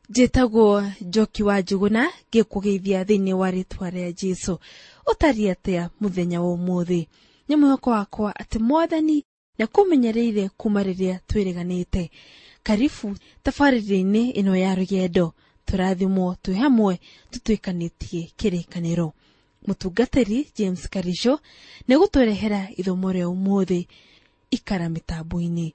Njĩtagwo Njoki wa Njuguna, ngĩkũgeithia thĩinĩ wa rĩtwa rĩa Jesũ. Ũtariĩ atĩa mũthenya wa ũmũthĩ? Nĩ mwĩhoko wakwa atĩ Mwathani nĩakũmenyereire kuma rĩrĩa twĩrĩganĩte. Karibu tabarĩra-inĩ ĩno ya rũgendo, tũrathimwo twĩ hamwe tũtuĩkanĩtie kĩrĩkanĩro. Mũtungatĩri James Karisho nĩegũtũrehera ithomo rĩa ũmũthĩ. Ikara mĩtambo-inĩ.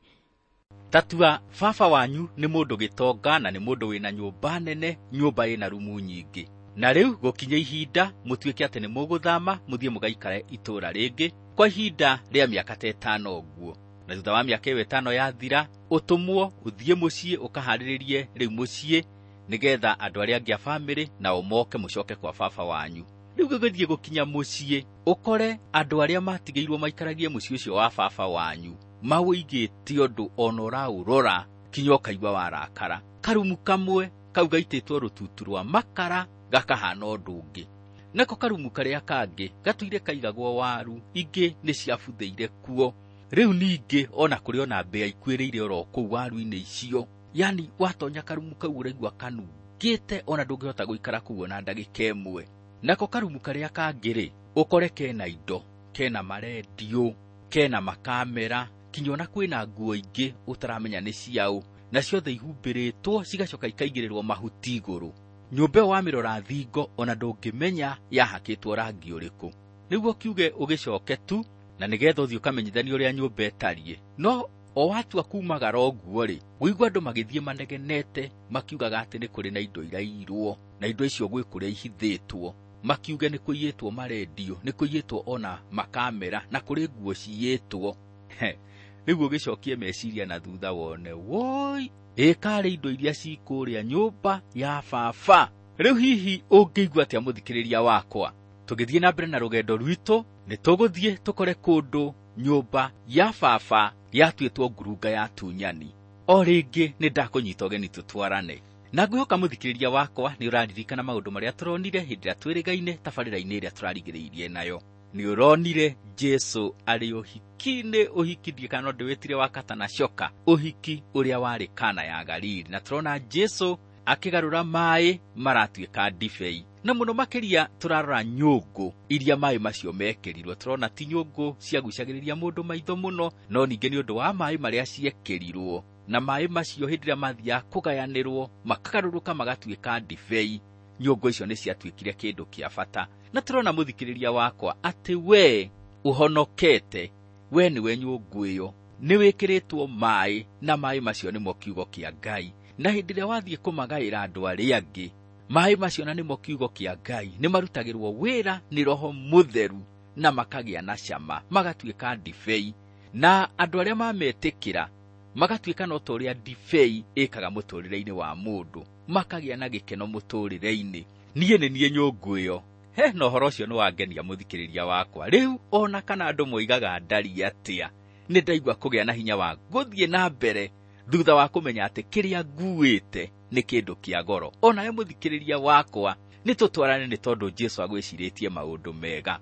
Tatua baba wanyu nĩ mũndũ gĩtonga na nĩ mũndũ wĩna nyũmba nene, nyũmba ĩna rumu nyingĩ. Na rĩu gũkinya ihinda mũtuĩke atĩ nĩ mũgũthama mũthiĩ mũgaikare itũũra rĩngĩ kwa ihinda rĩa mĩaka ta ĩtano ũguo. Na thutha wa mĩaka ĩyo ĩtano yathira, ũtũmwo ũthiĩ mũciĩ ũkaharĩrĩrie rĩu mũciĩ nĩgetha andũ arĩa angĩ a bamĩrĩ nao moke mũcoke kwa baba wanyu. Rĩu gũgĩthiĩ gũkinya mũciĩ ũkore andũ arĩa matigĩirwo maikaragie mũciĩ ũcio wa baba wanyu maũigĩte ũndũ ona ũraũrora kinya ũkaigua warakara. Karumu kamwe kau gaitĩtwo rũtutu rwa makara gakahana ũndũ ũngĩ, nako karumu karĩa kangĩ gatũire kaigagwo waru ingĩ nĩ ciabuthĩire kuo. Rĩu ningĩ ona kũrĩ ona mbĩa ikuĩrĩire oro kũu waru-inĩ icio, yani watonya karumu kau ũraigua kanungĩte ona ndũngĩhota gũikara kũu ona ndagĩka ĩmwe. Nako karumu karĩa kangĩ rĩ, ũkore kena indo, kena marendio, kena makamera, kinya ona kwĩna nguo ingĩ ũtaramenya nĩ ciaũ, na ciothe ihumbĩrĩtwo cigacoka ikaigĩrĩrwo mahuti igũrũ. Nyũmba ĩyo wamĩrora thingo ona ndũngĩmenya yahakĩtwo rangi ũrĩkũ. Nĩguo kiuge ũgĩcoke tu na nĩgetha ũthiĩ ũkamenyithanie ũrĩa nyũmba ĩtariĩ. No o watua kumagara ũguo rĩ, ũigua andũ magĩthiĩ manegenete makiugaga atĩ nĩ kũrĩ na indo iraiyirwo, na indo icio gwĩ kũrĩa ihithĩtwo. Makiuge nĩ kũiyĩtwo marendio, nĩ kũiyĩtwo ona makamera, na kũrĩ nguo ciyĩtwo. Rĩu ũgĩcokie meciria na thutha wone, woi, ĩkarĩ indo iria cikũrĩa nyũmba ya baba. Rĩu hihi ũngĩigua atĩa mũthikĩrĩria wakwa? Tũgĩthiĩ na mbere na rũgendo rwitũ, nĩ tũgũthiĩ tũkore kũndũ nyũmba ya baba yatuĩtwo ngurunga ya tunyani. O rĩngĩ nĩ ndakũnyita ũgeni tũtwarane. Na ngwĩhoka mũthikĩrĩria wakwa nĩ ũraririkana maũndũ marĩa tũronire hĩndĩ ĩrĩa twĩrĩgaine tabarĩra-inĩ ĩrĩa tũrarigĩrĩirie nayo. Nĩ ũronire Jesũ arĩ ũhiki-inĩ, ũhiki ndiĩ kana no ndĩwĩtire wa kata na coka, ũhiki ũrĩa warĩ Kana ya Galili. Na tũrona Jesũ akĩgarũra maĩ maratuĩka ndibei. Na mũno makĩria tũrarora nyũngũ iria maĩ macio mekĩrirwo. Tũrona ti nyũngũ ciagucagĩrĩria mũndũ maitho mũno, no ningĩ nĩ ũndũ wa maĩ marĩa ciekĩrirwo. Na maĩ macio hĩndĩ ĩrĩa mathiaga kũgayanĩrwo makagarũrũka magatuĩka ndibei, nyũngũ icio nĩ ciatuĩkire kĩndũ kĩa bata. Na tũrona mũthikĩrĩria wakwa atĩ we ũhonokete, we nĩwe nyũngũ ĩyo, nĩ wĩkĩrĩtwo maĩ, na maĩ macio nĩmo kiugo kĩa Ngai. Na hĩndĩ ĩrĩa wathiĩ kũmagaĩra andũ arĩa angĩ, maĩ macio na nĩmo kiugo kĩa Ngai nĩ marutagĩrwo wĩra nĩ Roho Mũtheru na makagĩa na cama, magatuĩka ndibei. Na andũ arĩa mametĩkĩra magatuĩka no ta ũrĩa ndibei ĩkaga mũtũrĩre-inĩ wa mũndũ, makagĩa na gĩkeno mũtũrĩre-inĩ. Niĩ nĩ niĩ nyũngũ ĩyo. He, na ũhoro ũcio nĩ wangenia mũthikĩrĩria wakwa. Rĩu ona kana andũ moigaga ndariĩ atĩa, nĩ ndaigua kũgĩa na hinya wa gũthiĩ na mbere thutha wa kũmenya atĩ kĩrĩa nguĩte nĩ kĩndũ kĩa goro. Onawe mũthikĩrĩria wakwa, nĩ tũtwarane nĩ tondũ Jesũ agwĩcirĩtie maũndũ mega.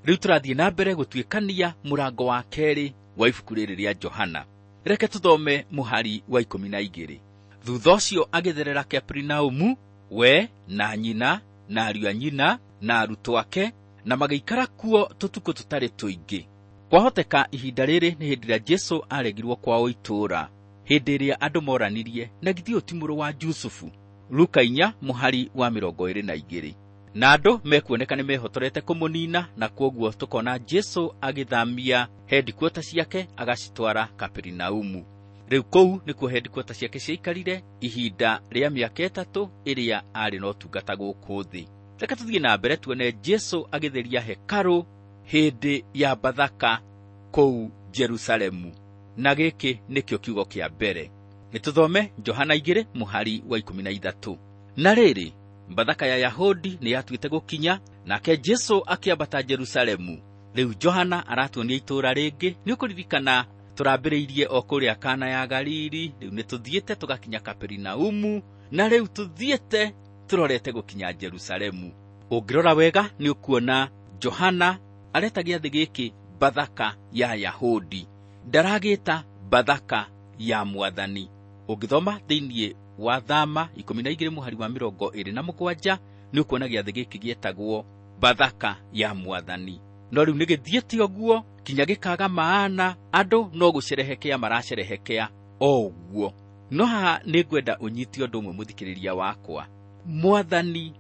Rĩu tũrathiĩ na mbere gũtuĩkania mũrango wa kerĩ wa ibuku rĩrĩ rĩa Johana. Reke tũthome mũhari wa 12. Thutha ũcio agĩtherera Kaperinaumu, we na nyina na ariũ a nyina na arutwo ake, na magĩikara kuo tũtukũ tũtarĩ tũingĩ. Kwahoteka ihinda rĩrĩ nĩ hĩndĩ ĩrĩa Jesũ aregirwo kwao itũũra, hĩndĩ ĩrĩa andũ moranirie, na githĩ ũyũ ti mũrũ wa Jusufu? Luka 4 mũhari wa 22. Na andũ mekuoneka nĩ mehotorete kũmũnina, na kwoguo tũkona Jesũ agĩthamia headquarter ciake agacitwara Kaperinaumu. Rĩu kũu nĩkuo headquarter ciake ciaikarire ihinda rĩa mĩaka 3 ĩrĩa arĩ na ũtungata gũkũ thĩ. Reke tũthiĩ na mbere tuone Jesũ agĩtheria hekarũ hĩndĩ ya Bathaka kũu Jerusalemu. Na gĩkĩ nĩkĩo kiugo kĩa mbere. Nĩ tũthome Johana 2 mũhari wa 13. Na rĩrĩ, Bathaka ya Yahudi nĩ yatuĩte gũkinya, nake Jesũ akĩambata Jerusalemu. Rĩu Johana aratuonia itũũra rĩngĩ. Nĩ ũkũririkana tũrambĩrĩirie o kũrĩa Kana ya Galili, rĩu nĩ tũthiĩte tũgakinya Kaperinaumu, na rĩu tũthiĩte tũrorete gũkinya Jerusalemu. Ũngĩrora wega nĩ ũkuona Johana areta gĩathĩ gĩkĩ Bathaka ya Yahudi, ndaragĩta Bathaka ya Mwathani. Ũngĩthoma thĩinĩ wa Thama 12 mũhari wa 27 nĩ ũkuona gĩathĩ gĩkĩ gĩetagwo Bathaka ya Mwathani. No rĩu nĩ gĩthiĩte ũguo kinya gĩkaga maana, andũ no gũcerehekea maracerehekea o ũguo. No haha nĩ ngwenda ũnyite ũndũ ũmwe mũthikĩrĩria wakwa. Mwathani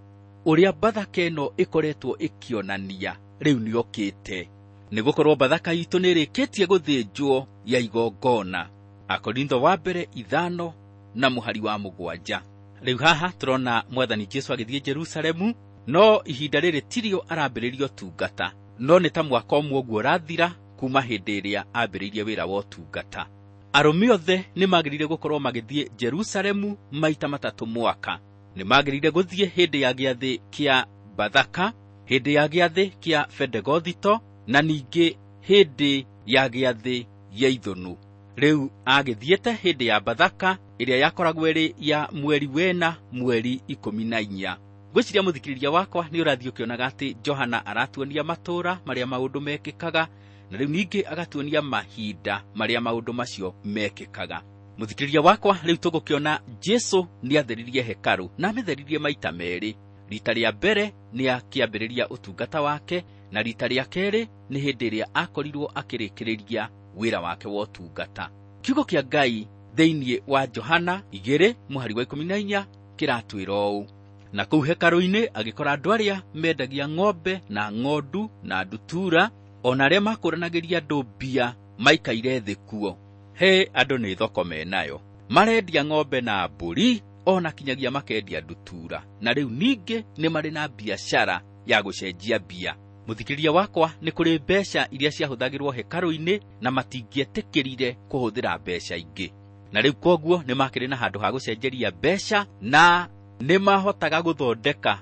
ũrĩa Bathaka ĩno ĩkoretwo ĩkĩonania rĩu nĩokĩte, nĩgũkorwo Bathaka itũ nĩĩrĩkĩtie gũthĩnjwo ya igongona. Akorintho wa mbere 5 na mũhari wa 7. Rĩu haha tũrona Mwathani Jesũ agĩthiĩ Jerusalemu, no ihinda rĩrĩ tirio arambĩrĩria ũtungata, no nĩ ta mwaka ũmwe ũguo ũrathira kuma hĩndĩ ĩrĩa ambĩrĩirie wĩra wa ũtungata. Arũme othe nĩmagĩrĩire gũkorwo magĩthiĩ Jerusalemu maita 3 mwaka. Nĩmagĩrĩire gũthiĩ hĩndĩ ya gĩathĩ kĩa Bathaka, hĩndĩ ya gĩathĩ kĩa Bendegothito, na ningĩ hĩndĩ ya gĩathĩ gĩa Ithũnũ. Rĩu agĩthiĩte hĩndĩ ya Bathaka ĩrĩa yakoragwo ĩrĩ ya mweri wena mweri 14. Ngwĩciria mũthikĩrĩria wakwa nĩ ũrathiĩ ũkĩonaga atĩ Johana aratuonia matũũra marĩa maũndũ mekĩkaga, na rĩu ningĩ agatuonia mahinda marĩa maũndũ macio mekĩkaga. Mũthikĩrĩria wakwa, rĩu tũgũkĩona Jesũ nĩatheririe hekarũ na amĩtheririe maita 2. Rita rĩa mbere nĩ akĩambĩrĩria ũtungata wake, na rita rĩa kerĩ nĩ hĩndĩ ĩrĩa akorirwo akĩrĩkĩrĩria wĩra wake wa ũtungata. Kiugo kĩa Ngai thĩinĩ wa Johana 2 mũhari wa 14 kĩratwĩra ũũ: na kũu hekarũ-inĩ agĩkora andũ arĩa mendagia ng'ombe na ng'ondu na ndutura, ona arĩa makũranagĩria andũ mbia maikaire thĩ kuo. He andũ nĩ thoko menayo, marendia ng'ombe na mbũri, ona kinyagia makendia ndutura, na rĩu ningĩ nĩ marĩ na biacara ya gũcenjia mbia. Mũthikĩrĩria wakwa, nĩ kũrĩ mbeca iria ciahũthagĩrwo hekarũ-inĩ na matingĩetĩkĩrire kũhũthĩra mbeca ingĩ, na rĩu koguo nĩ makĩrĩ na handũ ha gũcenjeria mbeca na nĩ mahotaga gũthondeka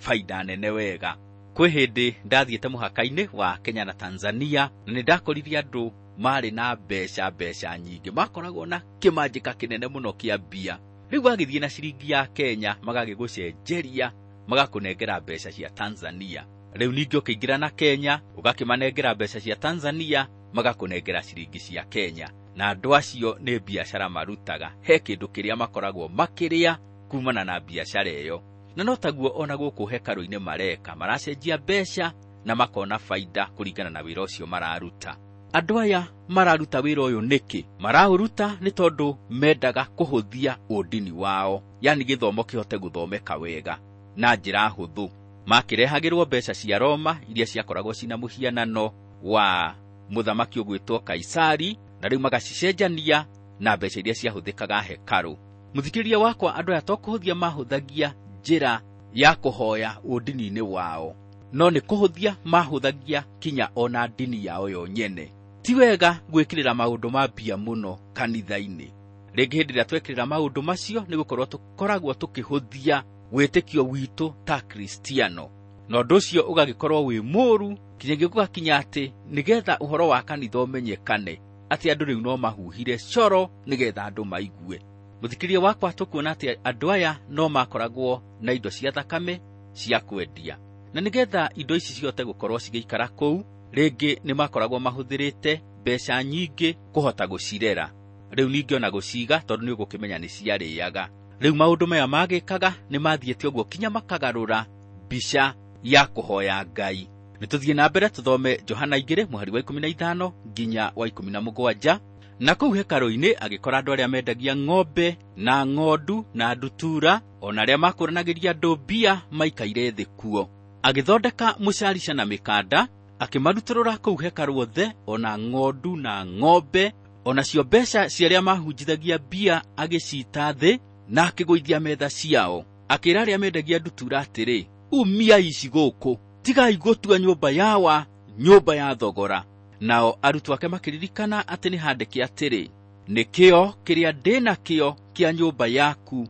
baida nene wega. Kwĩ hĩndĩ ndathiĩte mũhaka-inĩ wa Kenya na Tanzania, na nĩ ndakorire andũ marĩ na mbeca nyingĩ, makoragwo na kĩmanjĩka kĩnene mũno kĩa mbia. Rĩu wagĩthiĩ na ciringi ya Kenya magagĩgũcenjeria magakũnengera mbeca cia Tanzania. Rĩu ningĩ ũkĩingĩra na Kenya ũgakĩmanengera mbeca cia Tanzania magakũnengera ciringi cia Kenya. Na andũ acio nĩ biacara marutaga, he kĩndũ kĩrĩa makoragwo makĩrĩa kumana na biacara ĩyo. Na no taguo ona gũkũ hekarũ-inĩ mareka, maracenjia mbeca na makona baida kũringana na wĩra ũcio mararuta. Andũ aya mararuta wĩra ũyũ nĩkĩ? Maraũruta nĩ tondũ mendaga kũhũthia ũndini wao, yani gĩthomo kĩhote gũthomeka wega na njĩra hũthũ. Makĩrehagĩrwo mbeca cia Roma iria ciakoragwo cina mũhianano wa mũthamaki ũgwĩtwo Kaisari, na rĩu magacicenjania na mbeca iria ciahũthĩkaga hekarũ. Mũthikĩrĩria wakwa, andũ aya to kũhũthia mahũthagia njĩra ya kũhoya ũndini-inĩ wao, no nĩ kũhũthia mahũthagia kinya ona ndini yao yo nyene. Ti wega gwĩkĩrĩra maũndũ ma mbia mũno kanitha-inĩ. Rĩngĩ hĩndĩ ĩrĩa twekĩrĩra maũndũ macio nĩ gũkorwo tũkoragwo tũkĩhũthia wĩtĩkio witũ ta Kristiano, na ũndũ ũcio ũgagĩkorwo wĩ mũũru kinyagia gũgakinya atĩ nĩgetha ũhoro wa kanitha ũmenyekane atĩ andũ rĩu no mahuhire coro nĩgetha andũ maigue. Mũthikĩrĩria wakwa, tũkuona atĩ andũ aya no makoragwo na indo cia thakame cia kwendia, na nĩgetha indo ici cihote gũkorwo cigĩikara kũu, rĩngĩ nĩ makoragwo mahũthĩrĩte mbeca nyingĩ kũhota gũcirera. Rĩu ningĩ ona gũciga, tondũ nĩ ũgũkĩmenya nĩ ciarĩaga. Rĩu maũndũ maya magĩkaga nĩ mathiĩte ũguo kinya makagarũra mbica ya kũhoya Ngai. Nĩ tũthiĩ na mbere tũthome Johana 2 mũhari wa 15 nginya wa 17. Na kũu hekarũ-inĩ agĩkora andũ arĩa mendagia ng'ombe na ng'ondu na ndutura, ona arĩa makũranagĩria andũ mbia maikaire thĩ kuo. Agĩthondeka mũcarica na mĩkanda, akĩmarutũrũra kũu hekarũ othe, ona ng'ondu na ng'ombe, ona cio mbeca cia arĩa mahunjithagia mbia agĩciita thĩ na akĩgũithia metha ciao. Akĩĩra arĩa mendagia ndutura atĩrĩ, umiai ici gũkũ, tigai gũtua nyũmba yawa nyũmba ya thogora. Nao arutwo ake makĩririkana atĩ nĩ handĩke atĩrĩ, nĩkĩo kĩrĩa ndĩ nakĩo kĩa nyũmba yaku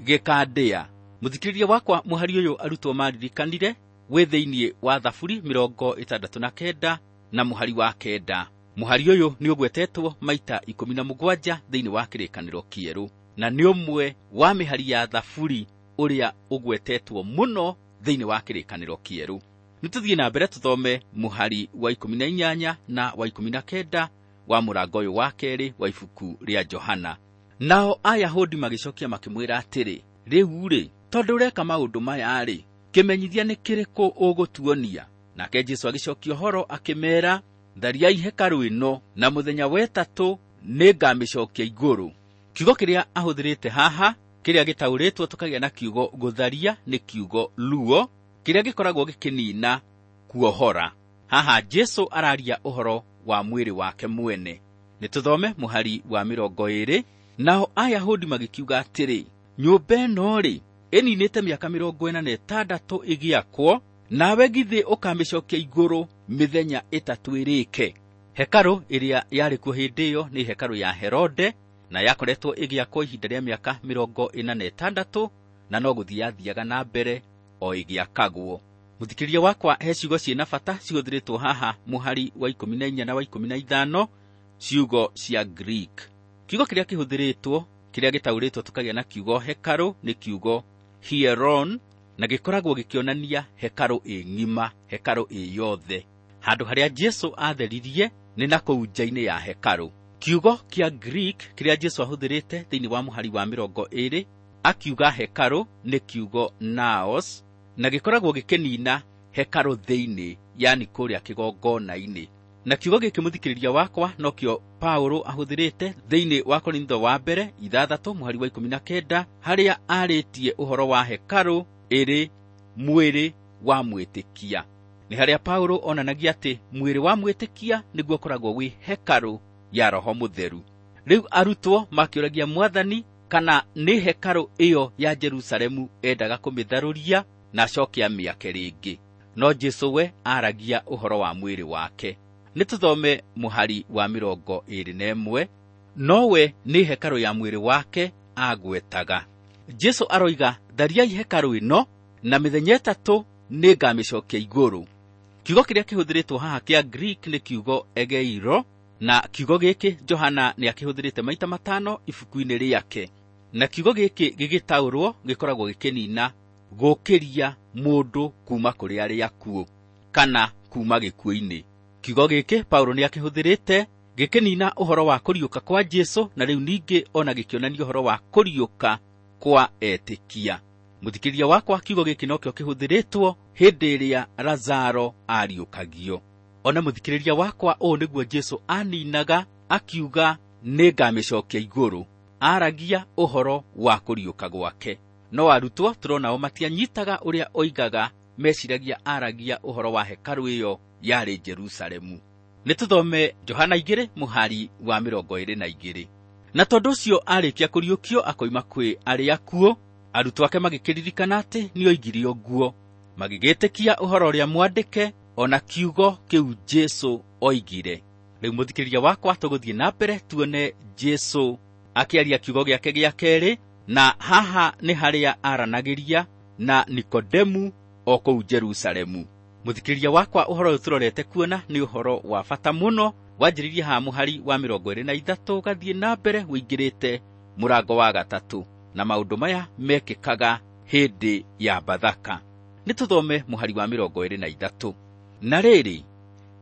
gĩkandĩa. Mũthikĩrĩria wakwa, mũhari ũyũ arutwo maririkanire wĩ thĩinĩ wa Thaburi 69 na mũhari wa 9. Mũhari ũyũ nĩ ũgwetetwo maita 17 thĩinĩ wa Kĩrĩkanĩro Kĩerũ, na nĩ ũmwe wa mĩhari ya Thaburi ũrĩa ũgwetetwo mũno thĩinĩ wa Kĩrĩkanĩro Kĩerũ. Nĩ tũthiĩ na mbere tũthome mũhari wa 18 na wa 19 wa mũrango ũyũ wa kerĩ wa ibuku rĩa Johana. Nao Ayahudi magĩcokia makĩmwĩra atĩrĩ, rĩu-rĩ, tondũ ũreka maũndũ maya-rĩ, kĩmenyithia nĩ kĩrĩkũ ũgũtuonia? Nake Jesũ agĩcokia ũhoro akĩmeera, thariai hekarũ ĩno, na mũthenya wa ĩtatũ nĩngamĩcokia igũrũ. Kiugo kĩrĩa ahũthĩrĩte haha, kĩrĩa gĩtaũrĩtwo tũkagĩa na kiugo gũtharia nĩ kiugo luo, kĩrĩa gĩkoragwo gĩkĩnina kuohora. Haha Jesũ araria ũhoro wa mwĩrĩ wake mwene. Nĩ tũthome mũhari wa 20. Nao Ayahudi magĩkiuga atĩrĩ, nyũmba ĩno-rĩ, ĩninĩte mĩaka 46 ĩgĩakwo, nawe githĩ ũkamĩcokia igũrũ mĩthenya 3 ĩrĩke. Hekarũ ĩrĩa yarĩ kuo hĩndĩ ĩyo nĩ hekarũ ya Herode, na yakoretwo ĩgĩakwo ihinda rĩa mĩaka 46, na no gũthiĩ yathiaga na mbere o ĩgĩakagwo. Mũthikĩrĩria wakwa, he ciugo ciĩna bata cihũthĩrĩtwo haha mũhari wa 14 na wa 15, ciugo cia Greek. Kiugo kĩrĩa kĩhũthĩrĩtwo, kĩrĩa gĩtaũrĩtwo tũkagĩa na kiugo hekarũ nĩ kiugo hieron, na gĩkoragwo gĩkĩonania hekarũ ĩ ng'ima, hekarũ ĩ yothe. Handũ harĩa Jesũ atheririe nĩ na kũu nja-inĩ ya hekarũ. Kiugo kĩa Greek kĩrĩa Jesũ ahũthĩrĩte thĩinĩ wa mũhari wa 20 akiuga hekarũ nĩ kiugo naos, na gĩkoragwo gĩkĩnina hekarũ thĩinĩ, yani kũrĩa kĩgongona-inĩ. Na kiugo gĩkĩ mũthikĩrĩria wakwa nokĩo Paulo ahũthĩrĩte thĩinĩ wa Korintho wa mbere 6 mũhari wa 19, harĩa arĩtie ũhoro wa hekarũ ĩrĩ mwĩrĩ wa mwĩtĩkia. Nĩ harĩa Paulo onanagia atĩ mwĩrĩ wa mwĩtĩkia nĩguo ũkoragwo wĩ hekarũ ya Roho Mũtheru. Rĩu arutwo makĩũragia Mwathani kana nĩ hekarũ ĩyo ya Jerusalemu endaga kũmĩtharũria na acoke amĩake rĩngĩ. No Jesũ we aragia ũhoro wa mwĩrĩ wake. Nĩ tũthome mũhari wa 21. Nowe nĩ hekarũ ya mwĩrĩ wake agwetaga. Jesũ aroiga, thariai hekarũ ĩno, na mĩthenya 3 nĩngamĩcokia igũrũ. Kiugo kĩrĩa kĩhũthĩrĩtwo haha kĩa Greek nĩ kiugo egeiro, na kiugo gĩkĩ Johana nĩakĩhũthĩrĩte maita 5 ibuku-inĩ rĩake. Na kiugo gĩkĩ gĩgĩtaũrwo gĩkoragwo gĩkĩnina gũkĩria mũndũ kuma kũrĩ arĩa akuũ kana kuma gĩkuũ-inĩ. Kiugo gĩkĩ Paulo nĩakĩhũthĩrĩte gĩkĩnina ũhoro wa kũriũka kwa Jesũ, na rĩu ningĩ ona gĩkĩonania ũhoro wa kũriũka kwa etĩkia. Mũthikĩrĩria wakwa, kiugo gĩkĩ nokĩo kĩhũthĩrĩtwo hĩndĩ ĩrĩa Lazaro ariũkagio. Ona mũthikĩrĩria wakwa, ũũ nĩguo Jesũ aninaga akiuga nĩngamĩcokia igũrũ. Aragia ũhoro wa kũriũka gwake. No arutwo tũronao matianyitaga ũrĩa oigaga, meciragia aragia ũhoro wa hekarũ ĩyo yarĩ Jerusalemu. Nĩ tũthome Johana 2 mũhari wa 22. Na tondũ ũcio arĩkia kũriũkio akoima kwĩ arĩa akuũ, arutwo ake magĩkĩririkana atĩ nĩoigire ũguo, magĩgĩtĩkia ũhoro ũrĩa mwandĩke ona kiugo kĩu Jesũ oigire. Rĩu mũthikĩrĩria wakwa, tũgũthiĩ na mbere tuone Jesũ akĩaria kiugo gĩake gĩa kerĩ, na haha nĩ harĩa aranagĩria na Nikodemu o kũu Jerusalemu. Mũthikĩrĩria wakwa, ũhoro ũyũ tũrorete kuona nĩ ũhoro wa bata mũno, wanjĩrĩirie haha mũhari wa 23 ũgathiĩ na mbere ũingĩrĩte mũrango wa 3, na maũndũ maya mekĩkaga hĩndĩ ya Bathaka. Nĩ tũthome mũhari wa 23. Na rĩrĩ,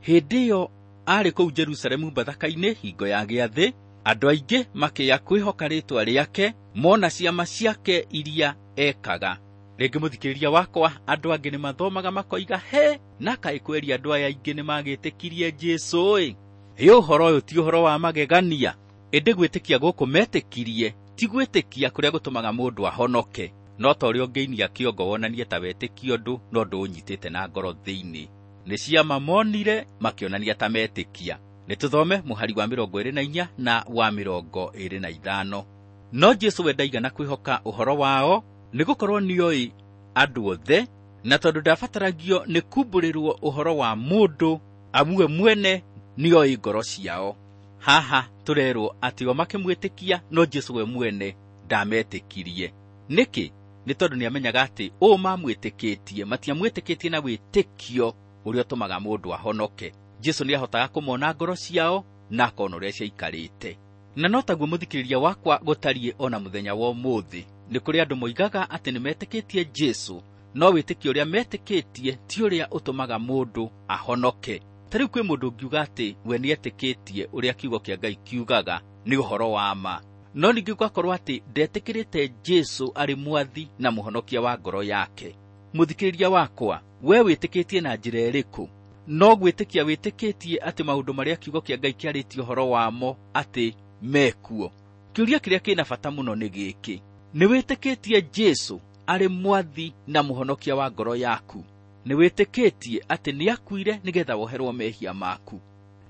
hĩndĩ ĩyo arĩ kũu Jerusalemu Bathaka-inĩ hingo ya gĩathĩ, andũ aingĩ makĩya kwĩhoka rĩĩtwa rĩake mona ciama ciake iria ekaga. Rĩngĩ mũthikĩrĩria wakwa, andũ angĩ nĩ mathomaga makoiga, he, na kaĩ kweri andũ aya aingĩ nĩ magĩtĩkirie Jesũ-ĩ. Ĩ ũhoro ũyũ ti ũhoro wa magegania. Ĩndĩ gwĩtĩkia gũkũ metĩkirie ti gwĩtĩkia kũrĩa gũtũmaga mũndũ ahonoke. No ta ũrĩa ũngĩinia kĩongo wonanie ta wetĩkia ũndũ, no ndũũnyitĩte na ngoro thĩinĩ. Nĩ ciama monire makĩonania ta metĩkia. Nĩ tũthome mũhari wa 24 na wa 25. No Jesũ we ndaigana kwĩhoka ũhoro wao, nĩgũkorwo nĩoĩ andũ othe, na tondũ ndabataragio nĩ kumbũrĩrwo ũhoro wa mũndũ, amu we mwene nĩoĩ ngoro ciao. Haha tũrerwo atĩ o makĩmwĩtĩkia, no Jesũ we mwene ndametĩkirie. Nĩkĩ? Nĩ tondũ nĩamenyaga atĩ ũũ mamwĩtĩkĩtie, matiamwĩtĩkĩtie na wĩtĩkio ũrĩa ũtũmaga mũndũ ahonoke. Jesũ nĩahotaga kũmona ngoro ciao na akona ũrĩa ciaikarĩte. Na no taguo mũthikĩrĩria wakwa gũtariĩ ona mũthenya wa ũmũthĩ. Nĩ kũrĩ andũ moigaga atĩ nĩmetĩkĩtie Jesũ, no wĩtĩkio ũrĩa metĩkĩtie ti ũrĩa ũtũmaga mũndũ ahonoke. Ta rĩu kwĩ mũndũ ũngiuga atĩ we nĩetĩkĩtie ũrĩa kiugo kĩa Ngai kiugaga nĩ ũhoro wa ma. No ningĩ gũgakorwo atĩ ndetĩkĩrĩte Jesũ arĩ mwathi na mũhonokia wa ngoro yake. Mũthikĩrĩria wakwa, we wĩtĩkĩtie na njĩra ĩrĩkũ? No gwĩtĩkia wĩtĩkĩtie atĩ maũndũ marĩa kiugo kĩa Ngai kĩarĩtie ũhoro wamo atĩ mekuo. Kĩũria kĩrĩa kĩna bata mũno nĩ gĩkĩ: nĩ wĩtĩkĩtie Jesũ arĩ mwathi na mũhonokia wa ngoro yaku? Nĩ wĩtĩkĩtie atĩ nĩakuire nĩgetha woherwo mehia maku?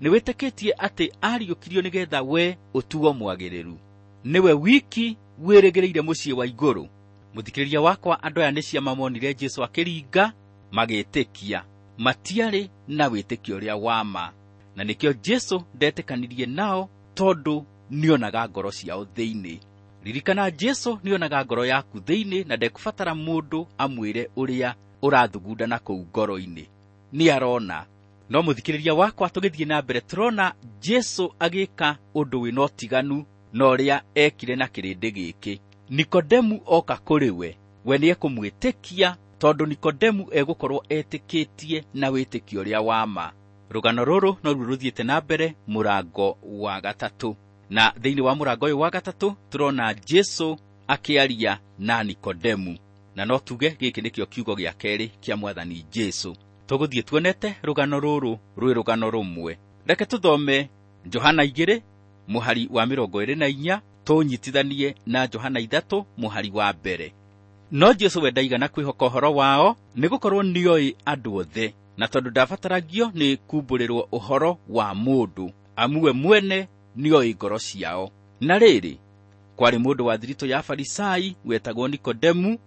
Nĩ wĩtĩkĩtie atĩ ariũkirio nĩgetha we ũtuo mwagĩrĩru? Nĩwe wiki wĩrĩgĩrĩire mũciĩ wa igũrũ? Mũthikĩrĩria wakwa, andũ aya nĩ ciama monire Jesũ akĩringa magĩtĩkia, matiarĩ na wĩtĩkio ũrĩa wa ma, na nĩkĩo Jesũ ndetĩkanirie nao tondũ nĩonaga ngoro ciao thĩinĩ. Ririkana, Jesũ nĩonaga ngoro yaku thĩinĩ na ndekũbatara mũndũ amwĩre ũrĩa ũrathugunda na kũu ngoro-inĩ, nĩarona. No mũthikĩrĩria wakwa, tũgĩthiĩ na mbere tũrona Jesũ agĩka ũndũ wĩna ũtiganu na ũrĩa ekire na kĩrĩndĩ gĩkĩ. Nikodemu oka kũrĩ we, we nĩekũmwĩtĩkia tondũ Nikodemu egũkorwo etĩkĩtie na wĩtĩkio ũrĩa wa ma. Rũgano rũrũ noruo rũthiĩte na mbere mũrango wa gatatũ, na thĩinĩ wa mũrango ũyũ wa gatatũ tũrona Jesũ akĩaria na Nikodemu, na no tuge gĩkĩ nĩkĩo kiugo gĩa kerĩ kĩa mwathani Jesũ. Tũgũthiĩ tuonete rũgano rũrũ rwĩ rũgano rũmwe. Reke tũthome Johana 2 mũhari wa 24 tũnyitithanie na Johana 3 mũhari wa 1. No Jesũ we ndaigana kwĩhoka ũhoro wao, nĩgũkorwo nĩoĩ andũ othe, na tondũ ndabataragio nĩ kumbũrĩrwo ũhoro wa mũndũ, amu we mwene nĩoĩ ngoro ciao. Na rĩrĩ, kwarĩ mũndũ wa thiritũ ya Farisai wetagwo Nikodemu,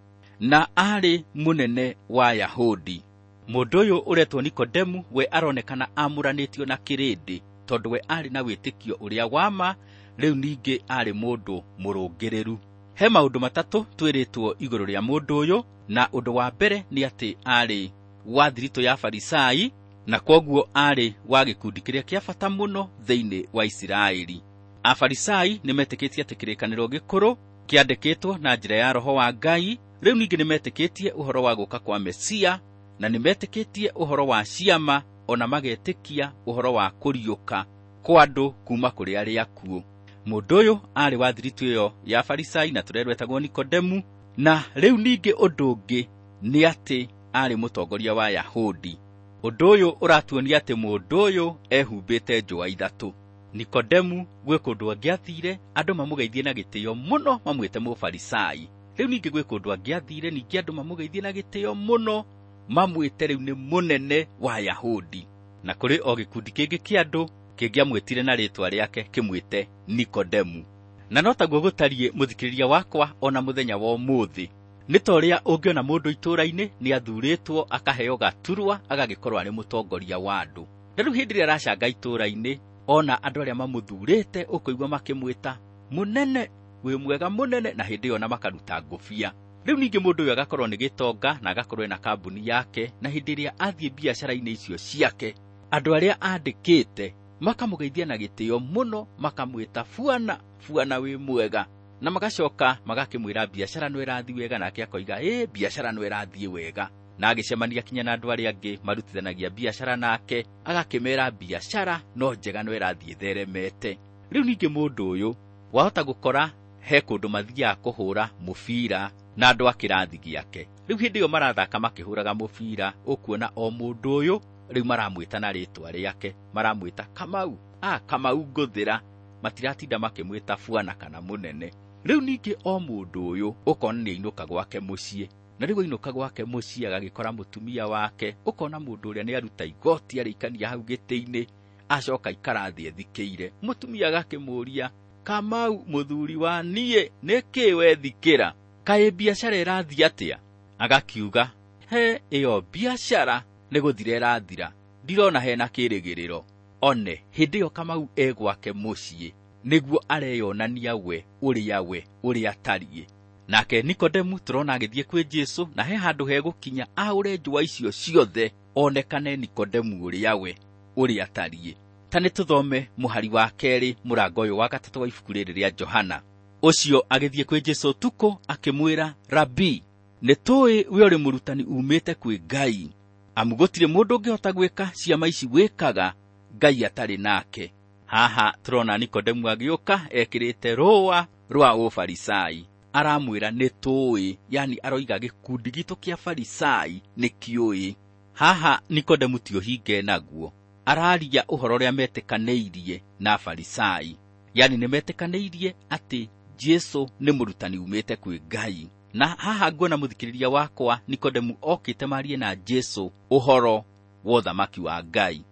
na aarĩ mũnene wa Yahudi. Mũndũ ũyũ ũretwo Nikodemu we aronekana amũranĩtio na kĩrĩndĩ tondũ we aarĩ na wĩtĩkio ũrĩa wa ma, rĩu ningĩ aarĩ mũndũ mũrũngĩrĩru. He maũndũ matatũ twĩrĩtwo igũrũ rĩa mũndũ ũyũ, na ũndũ wa mbere nĩ atĩ aarĩ wa thiritũ ya Farisai, na kwoguo aarĩ wa gĩkundi kĩrĩa kĩa bata mũno thĩinĩ wa Isiraeli. Afarisai nĩmetĩkĩtie atĩ kĩrĩkanĩro gĩkũrũ kĩandĩkĩtwo na njĩra ya Roho wa Ngai. Rĩu ningĩ nĩmetĩkĩtie ũhoro wa gũka kwa Mesia, na nĩmetĩkĩtie ũhoro wa ciama, ona magetĩkia ũhoro wa kũriũka kwa andũ kuma kũrĩ arĩa akuũ. Mũndũ ũyũ aarĩ wa thiritũ ĩyo ya Farisai na tũrĩa rwetagwo Nikodemu, na rĩu ningĩ ũndũ ũngĩ nĩ atĩ aarĩ mũtongoria wa Yahudi. Ũndũ ũyũ ũratuonia atĩ mũndũ ũyũ ehumbĩte njũa ithatũ. Nikodemu gwĩ kũndũ angĩathire andũ mamũgeithie na gĩtĩo mũno mamwĩte mũfarisai. Rĩu ningĩ gwĩ kũndũ angĩathire ningĩ andũ mamũgeithie na gĩtĩo mũno mamwĩte rĩu nĩ mũnene wa Yahudi. Na kũrĩ o gĩkundi kĩngĩ kĩa andũ kĩngĩamwĩtire na rĩtwa rĩake kĩmwĩte Nikodemu. Na no taguo gũtariĩ mũthikĩrĩria wakwa ona mũthenya wa ũmũthĩ. Nĩ ta ũrĩa ũngĩona mũndũ itũũra-inĩ nĩathurĩtwo akaheo gaturwa agagĩkorwo arĩ mũtongoria wa andũ. Na rĩu hĩndĩ ĩrĩa aracanga itũũra-inĩ ona andũ arĩa mamũthurĩte ũkũigua makĩmwĩta mũnene, wĩ mwega mũnene, na hĩndĩ ĩyo ona makaruta ngũbia. Rĩu ningĩ mũndũ ũyũ agakorwo nĩ gĩtonga na agakorwo ena kambuni yake, na hĩndĩ ĩrĩa athiĩ biacara-inĩ icio ciake andũ arĩa andĩkĩte makamũgeithia na gĩtĩo mũno, makamwĩta buana, buana wĩ mwega, na magacoka magakĩmwĩra biacara no ĩrathiĩ wega, nake akoiga ĩ biacara no ĩrathiĩ wega, na agĩcemania kinya na andũ arĩa angĩ marutithanagia biacara nake agakĩmera biacara no njega no ĩrathiĩ ĩtheremete. Rĩu ningĩ mũndũ ũyũ wahota gũkora he kũndũ mathiaga kũhũra mũbira na andũ a kĩrathi gĩake. Rĩu hĩndĩ ĩyo marathaka makĩhũraga mũbira, ũkuona o mũndũ ũyũ rĩu maramwĩta na rĩtwa rĩake, maramwĩta Kamau, Kamau ngũthĩra, matiratinda makĩmwĩta buana kana mũnene. Rĩu ningĩ o mũndũ ũyũ ũkona nĩainũka gwake mũciĩ, na rĩu ainũka gwake mũciĩ agagĩkora mũtumia wake, ũkona mũndũ ũrĩa nĩaruta igoti arĩikania hau gĩtĩ-inĩ, acoka aikara thĩ ethikĩire. Mũtumia agakĩmũũria, Kamau mũthuri wa niĩ, nĩkĩ wethikĩra? Kaĩ biacara ĩrathiĩ atĩa? Agakiuga, he ĩyo biacara nĩ gũthira ĩrathira, ndirona hena kĩrĩgĩrĩro. One hĩndĩ ĩyo Kamau e gwake mũciĩ nĩguo areyonania we ũrĩa we ũrĩa atariĩ. Nake Nikodemu tũrona agĩthiĩ kwĩ Jesũ, na he handũ hegũkinya aũre njũa icio ciothe onekane Nikodemu ũrĩa we ũrĩa atariĩ. Ta nĩ tũthome mũhari wa 2 mũrango ũyũ wa 3 wa ibuku rĩrĩ rĩa Johana. Ũcio agĩthiĩ kwĩ Jesũ ũtukũ akĩmwĩra, Rabi, nĩ tũĩ we ũrĩ mũrutani umĩte kwĩ Ngai, amu gũtirĩ mũndũ ũngĩhota gwĩka ciama ici wĩkaga Ngai atarĩ nake. Haha tũrona Nikodemu agĩũka ekĩrĩte rũa rwa ũfarisai. Aramwĩra nĩ tũĩ, yani aroiga gĩkundi gitũ kĩa Farisai nĩ kĩũĩ. Haha Nikodemu ti ũhinge naguo, araria ũhoro ũrĩa metĩkanĩirie na Farisai, yani nĩ metĩkanĩirie atĩ Jesu nĩ mũrutani umĩte kwĩ Ngai. Na haha nguona mũthikĩrĩria wakwa Nikodemu okĩte marie na Jesu ũhoro wa ũthamaki wa Ngai.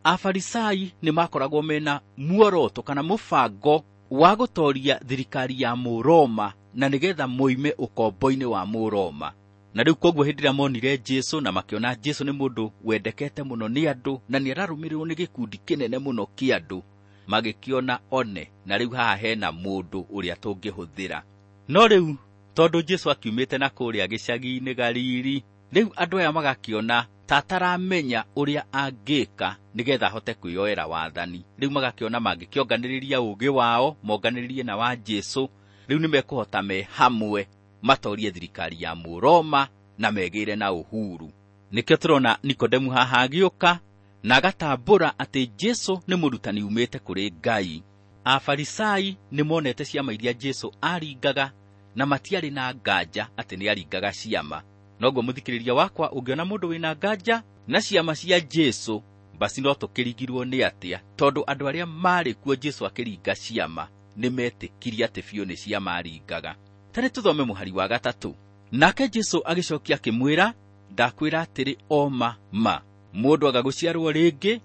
Afarisai nĩ makoragwo mena muoroto kana mũbango wa gũtoria thirikari ya Mũroma na nĩgetha moime ũkombo-inĩ wa Mũroma. Na rĩu koguo hĩndĩ ĩrĩa monire Jesu na makĩona Jesu nĩ mũndũ wendekete mũno nĩ andũ na nĩ ararũmĩrĩrwo nĩ gĩkundi kĩnene mũno kĩa andũ, magĩkĩona one na rĩu haha hena mũndũ ũrĩa tũngĩhũthĩra. No rĩu tondũ Jesu akiumĩte na kũrĩa gĩcagi-inĩ Galili, rĩu andũ aya magakĩona ta ataramenya ũrĩa angĩka nĩgetha ahote kwĩyoera wathani. Rĩu magakĩona mangĩkĩonganĩrĩria ũũgĩ wao, monganĩrĩrie na wa Jesu, rĩu nĩ mekũhota me hamwe matorie thirikari ya Mũroma na megĩre na uhuru. Nĩkĩo tũrona Nikodemu haha agĩũka na agatambũra atĩ Jesu nĩ mũrutani umĩte kũrĩ Ngai. Afarisai nĩ monete ciama iria Jesu aringaga na matiarĩ na nganja atĩ nĩ aringaga ciama. Noguo mũthikĩrĩria wakwa, ũngĩona mũndũ wĩna nganja na ciama cia Jesu, basi no tũkĩrigirwo nĩ atĩa, tondũ andũ arĩa marĩ kuo Jesu akĩringa ciama nĩ metĩkirie atĩ biũ nĩ ciama aringaga. Ta nĩ tũthome mũhari wa 3. Nake Jesu agĩcokia akĩmwĩra, ndakwĩra atĩrĩ o ma ma, mũndũ aga gũciarwo rĩngĩ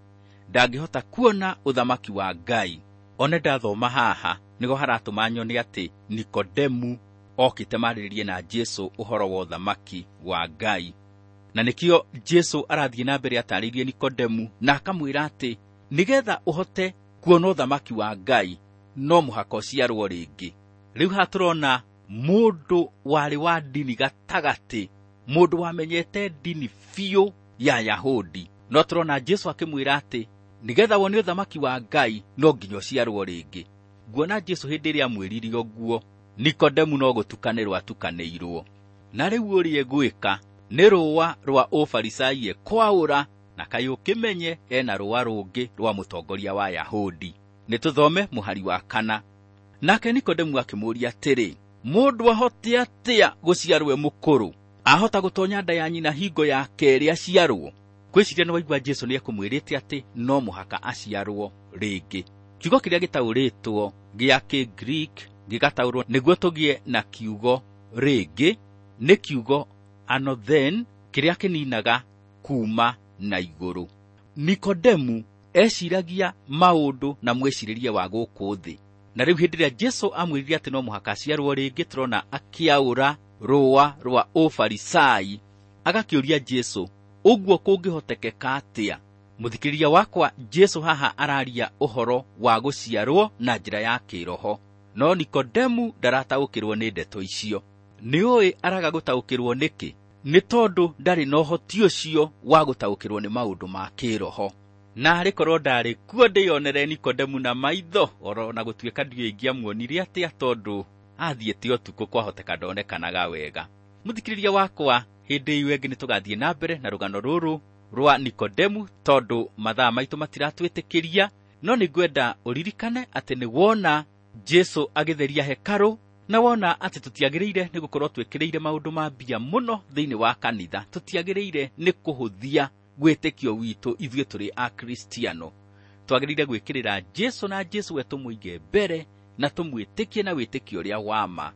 ndangĩhota kuona ũthamaki wa Ngai. One ndathoma haha nĩho haratũma nyone atĩ Nikodemu okĩte marĩrĩrie na Jesu ũhoro wa ũthamaki wa Ngai. Na nĩkĩo Jesu arathiĩ na mbere atarĩirie Nikodemu na akamwĩra atĩ nĩgetha ũhote kuona ũthamaki wa Ngai no mũhaka ũciarwo rĩngĩ. Rĩu haha tũrona mũndũ warĩ wa ndini gatagatĩ, mũndũ wamenyete ndini biũ ya Yahudi, no tũrona Jesu akĩmwĩra atĩ nĩgetha wone ũthamaki wa Ngai no nginya ũciarwo rĩngĩ. Nguona Jesu hĩndĩ ĩrĩa amwĩrire ũguo, Nikodemu no gũtukanĩrwo atukanĩirwo. Na rĩu ũrĩa egwĩka nĩ rũa rwa ũfarisai ekwaũra, na kaĩ ũkĩmenye ena rũa rũngĩ rwa mũtongoria wa Yahudi. Nĩ tũthome mũhari wa 4. Nake Nikodemu akĩmũũria atĩrĩ, mũndũ ahote atĩa gũciarwo e mũkũrũ? Ahota gũtonya nda ya nyina hingo ya kerĩ aciarwo? Ngwĩciria nĩ waigua Jesu nĩ ekũmwĩrĩte atĩ no mũhaka aciarwo rĩngĩ. Kiugo kĩrĩa gĩtaũrĩtwo gĩa Kĩgreek gĩgataũrwo nĩguo tũgĩe na kiugo rĩngĩ nĩ kiugo anothen, kĩrĩa kĩninaga kuma na igũrũ. Nikodemu eciragia maũndũ na mwĩcirĩrie wa gũkũ thĩ. Na rĩu hĩndĩ ĩrĩa Jesu amwĩrire atĩ no mũhaka aciarwo rĩngĩ, tũrona akĩaũra rũa rwa ũfarisai, agakĩũria Jesu ũguo kũngĩhotekeka atĩa? Mũthikĩrĩria wakwa, Jesu haha araria ũhoro wa gũciarwo na njĩra ya kĩroho, no Nikodemu ndarataũkĩrwo nĩ ndeto icio. Nĩ ũĩ araga gũtaũkĩrwo nĩkĩ? Nĩ tondũ ndarĩ na ũhoti ũcio wa gũtaũkĩrwo nĩ maũndũ ma kĩroho. Na arĩ korwo ndarĩ kuo ndĩyonere Nikodemu na maitho, oro na gũtuĩka ndiũĩ ingĩamuonire atĩa, tondũ athiĩte ũtukũ kwahoteka ndonekanaga wega. Mũthikĩrĩria wakwa, hĩndĩ ĩyo ĩngĩ nĩtũgathiĩ na mbere na rũgano rũrũ rwa Nikodemu, tondũ mathaa maitũ matiratwĩtĩkĩria, no nĩngwenda ũririkane atĩ nĩ wona Jesu agĩtheria hekarũ, na wona atĩ tũtiagĩrĩire nĩ gũkorwo twĩkĩrĩire maũndũ ma mbia mũno thĩinĩ wa kanitha, tũtiagĩrĩire nĩ kũhũthia wĩtĩkio witũ ithuĩ tũrĩ Akristiano. Twagĩrĩire gwĩkĩrĩra Jesu na Jesu we tũmũige mbere na tũmwĩtĩkie na wĩtĩkio ũrĩa wa ma.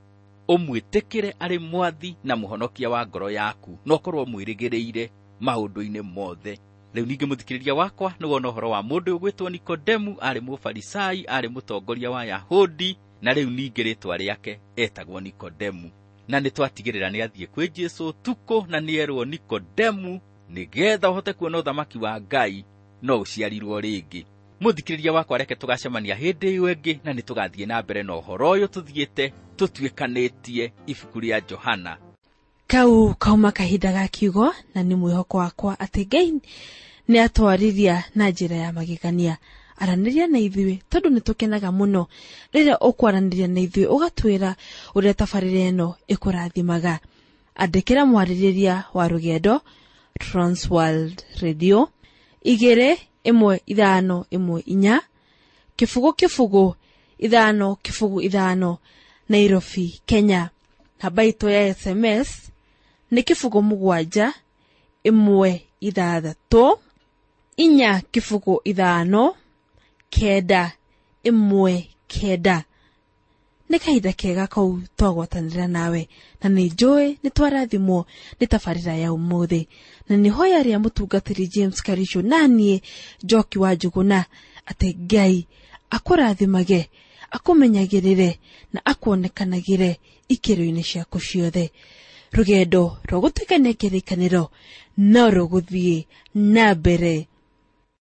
Ũmwĩtĩkĩre arĩ mwathi na mũhonokia wa ngoro yaku, na ũkorwo ũmwĩrĩgĩrĩire maũndũ-inĩ mothe. Rĩu ningĩ mũthikĩrĩria wakwa, nĩ wona ũhoro wa mũndũ ũgwĩtwo Nikodemu, arĩ mũfarisai, arĩ mũtongoria wa Yahudi, na rĩu ningĩ rĩtwa rĩake etagwo Nikodemu. Na nĩ twatigĩrĩra nĩ athiĩ kwĩ Jesu ũtukũ na nĩ erwo Nikodemu, nĩgetha ũhote kuona ũthamaki wa Ngai no ũciarirwo rĩngĩ. Mũthikĩrĩria wakwa, reke tũgacemania hĩndĩ ĩyo ĩngĩ, na nĩ tũgathiĩ na mbere na ũhoro ũyũ tũthiĩte tũtuĩkanĩtie ibuku rĩa Johana. Kau kauma kahinda ga kiugo, na nĩ mwĩhoko wakwa atĩ Ngai nĩ atwarĩria na njĩra ya magegania. Aranĩria na ithuĩ tondũ nĩ tũkenaga mũno rĩrĩa ũkwaranĩria na ithuĩ, ũgatwĩra ũrĩa tabarĩra ĩno ĩkũrathimaga. Andĩkĩra mwarĩrĩria wa rũgendo Transworld Radio 21514 0 0 5 0 5 Nairobi, Kenya. Namba itũ ya SMS nĩ 0 7 1 6 4 0 5 9 1 9. Nĩ kahinda kega kau twagwatanĩra nawe, na nĩ njũĩ nĩ twarathimwo nĩ tabarĩra ya ũmũthĩ, na nĩ hoya rĩa mũtungatĩri James Karisho naniĩ Njoki wa Njũgũna atĩ Ngai akũrathimage, akũmenyagĩrĩre na akuonekanagĩre ikĩro-inĩ ciaku ciothe. Rũgendo rwa gũtuĩkania kĩrĩkanĩro no rũgũthiĩ na mbere.